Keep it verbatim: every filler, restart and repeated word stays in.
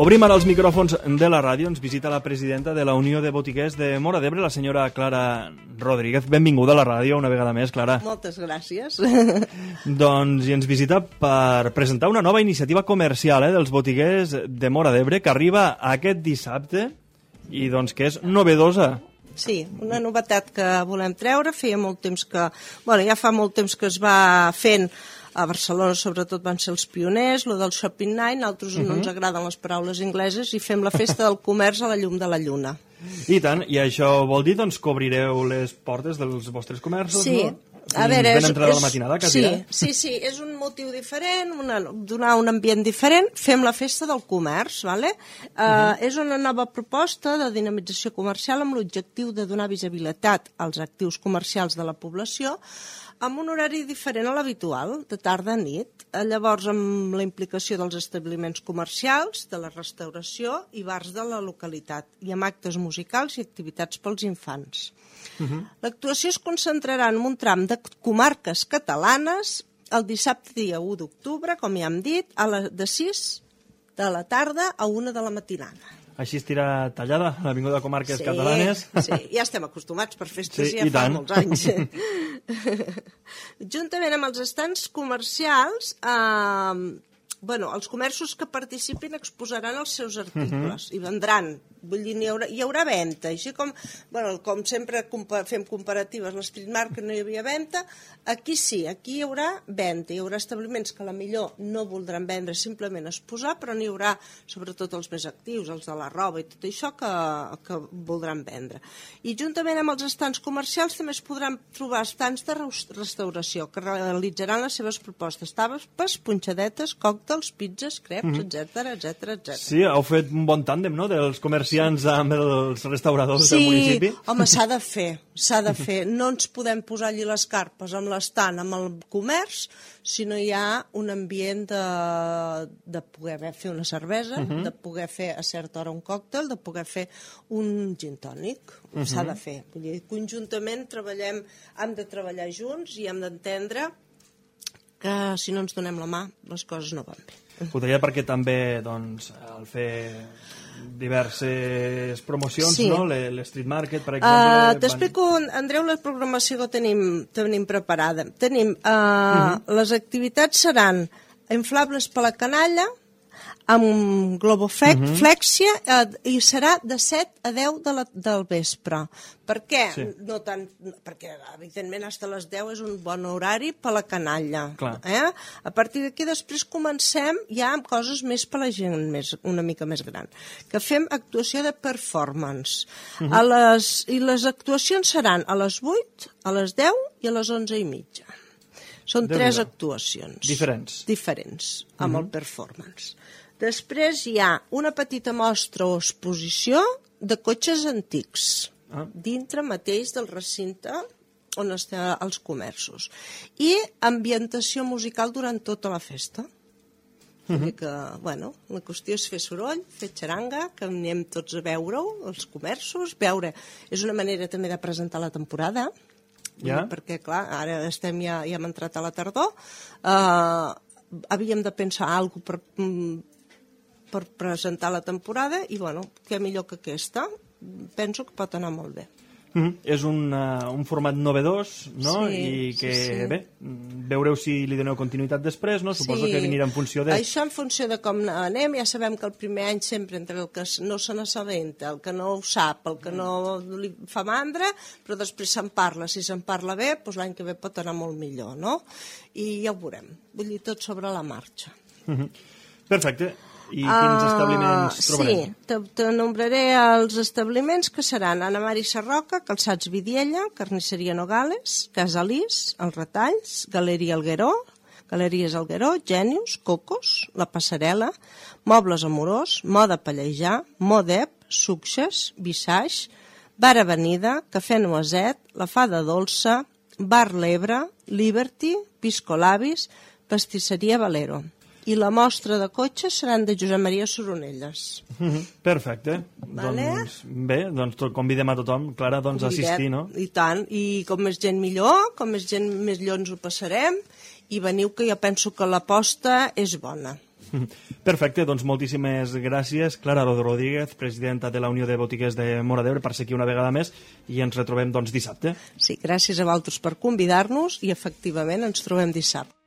Obrim ara els micròfons de la ràdio. Ens visita la presidenta de la Unió de Botiguers de Móra d'Ebre, la senyora Clara Rodríguez. Benvinguda a la ràdio una vegada més, Clara. Moltes gràcies. Doncs i ens visita per presentar una nova iniciativa comercial eh, dels botiguers de Móra d'Ebre que arriba aquest dissabte i doncs que és novedosa. Sí, una novetat que volem treure. Feia molt temps que... Bueno, ja fa molt temps que es va fent. A Barcelona, sobretot, van ser els pioners, lo del Shopping Night, nosaltres uh -huh. no ens agraden les paraules ingleses i fem la festa del comerç a la llum de la lluna. I tant, i això vol dir doncs, que obrireu les portes dels vostres comerços, sí. no? A veure, ben és, entrada és, la matinada, quasi, sí, eh? sí, sí, és un motiu diferent, una, donar un ambient diferent, fem la festa del comerç, ¿vale? Uh, uh -huh. És una nova proposta de dinamització comercial amb l'objectiu de donar visibilitat als actius comercials de la població amb un horari diferent a l'habitual, de tarda a nit. Llavors, amb la implicació dels establiments comercials, de la restauració i bars de la localitat, i amb actes musicals i activitats pels infants. Uh -huh. L'actuació es concentrarà en un tram de comarques catalanes el dissabte dia u d'octubre, com ja hem dit, a la, de sis de la tarda a una de la matinada. Així estirà tallada l'Avinguda de Comarques sí, Catalanes. Sí, ja estem acostumats per festes sí, ja fa tant. molts anys. Juntament amb els estants comercials, eh, bueno, els comerços que participin exposaran els seus articles uh -huh. i vendran. Vull dir, hi haurà, hi haurà venda. Així com, bueno, com sempre compa fem comparatives, l'Street Market no hi havia venda, aquí sí, aquí hi haurà venda. Hi haurà establiments que a la millor no voldran vendre, simplement exposar, però n'hi haurà, sobretot els més actius, els de la roba i tot això, que, que voldran vendre. I juntament amb els estants comercials també es podran trobar estants de restauració que realitzaran les seves propostes, tapes, punxadetes, còctels, pizzas, creps, mm -hmm. etcètera, etcètera, etcètera. Sí, heu fet un bon tàndem, no?, dels comerciants amb els restauradors sí, del municipi. Sí, home, s'ha de fer, s'ha de fer. No ens podem posar allí les carpes amb l'estant, amb el comerç, si no hi ha un ambient de, de poder fer una cervesa, uh -huh. de poder fer a certa hora un còctel, de poder fer un gin tònic. Uh -huh. S'ha de fer. Vull dir, conjuntament treballem, hem de treballar junts i hem d'entendre que si no ens donem la mà les coses no van bé. Ho deia perquè també doncs, al fer diverses promocions, sí. no? L'Street Market, per exemple... Uh, T'explico, van... Andreu, la programació que tenim, tenim preparada. Tenim, uh, uh -huh. les activitats seran inflables per la canalla, amb globoflexia, uh -huh. eh, i serà de set a deu de la, del vespre. Per què? Sí. No tant, perquè, evidentment, fins a les deu és un bon horari per la canalla. Eh? A partir d'aquí, després comencem ja amb coses més per la gent més, una mica més gran. Que fem actuació de performance. Uh -huh. a les, I les actuacions seran a les vuit, a les deu i a les onze i mitja. Són Déu tres actuacions. Diferents. Diferents, amb uh -huh. el performance. Després hi ha una petita mostra o exposició de cotxes antics, ah. dintre mateix del recinte on estan els comerços. I ambientació musical durant tota la festa. Uh -huh. que, bueno, la qüestió és fer soroll, fer xaranga, que anem tots a veure-ho, els comerços, veure... És una manera també de presentar la temporada, ja. perquè, clar, ara estem ja, ja hem entrat a la tardor, uh, havíem de pensar alguna cosa per... per presentar la temporada i, bueno, què millor que aquesta? Penso que pot anar molt bé. Mm -hmm. És un, uh, un format novedós, no? Sí, I que, sí, sí. bé, veureu si li doneu continuïtat després, no? Suposo sí. que venirà en funció de... Això en funció de com anem, ja sabem que el primer any sempre entre el que no se n'assabenta, el que no ho sap, el que no li fa mandra, però després se'n parla. Si se'n parla bé, doncs l'any que ve pot anar molt millor, no? I ja ho veurem. Vull dir, tot sobre la marxa. Mm -hmm. Perfecte. I quins establiments uh, trobarem? Sí, t'enombraré els establiments que seran Ana Mari Sarroca, Calçats Vidiella, Carnisseria Nogales, Casa Lis, Els Retalls, Galeria Algueró, Galeries Algueró, Genius, Cocos, La Passarel·la, Mobles Amorós, Moda Pallejà, Modep, Succes, Visage, Bar Avenida, Cafè Noaset, La Fada Dolça, Bar L'Ebre, Liberty, Piscolabis, Pastisseria Valero. I la mostra de cotxes seran de Josep Maria Soronelles. Mm-hmm. Perfecte. Vale. Doncs, bé, doncs tot, convidem a tothom, Clara, doncs, a assistir, no? I tant, i com més gent millor, com més gent més millor ens ho passarem, i veniu que jo penso que l'aposta és bona. Perfecte, doncs moltíssimes gràcies, Clara Rodríguez, presidenta de la Unió de Botiguers de Móra d'Ebre, per ser aquí una vegada més, i ens retrobem doncs dissabte. Sí, gràcies a vosaltres per convidar-nos i efectivament ens trobem dissabte.